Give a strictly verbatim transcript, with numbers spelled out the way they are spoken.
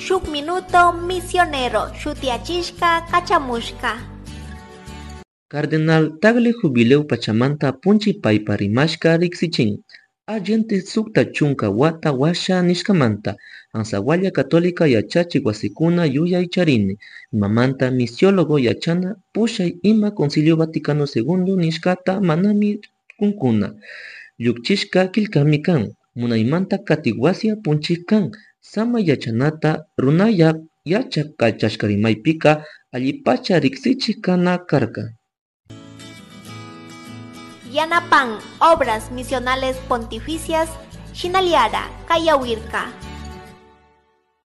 Shuk Minuto Misionero shutiyachishka kachamushka. Cardenal Tagle Jubileo pachamanta apunchik paypa rimashka riksichin. Allende sukta chunka wata washa nishkamanta Ansawalla Católica yachachik wasikuna yuyay charini imamanta misiólogo yachana pushay ima Concilio Vaticano Segundo nishkata manami kunkuna llukchishka killkami kan munaymanta katik wasi apunchik kan samay yachanata runayak yachak kachashka rimaypika allipacha riksichik kana karka. Yanapan Obras Misionales Pontificias Shinaliara Kayawirka.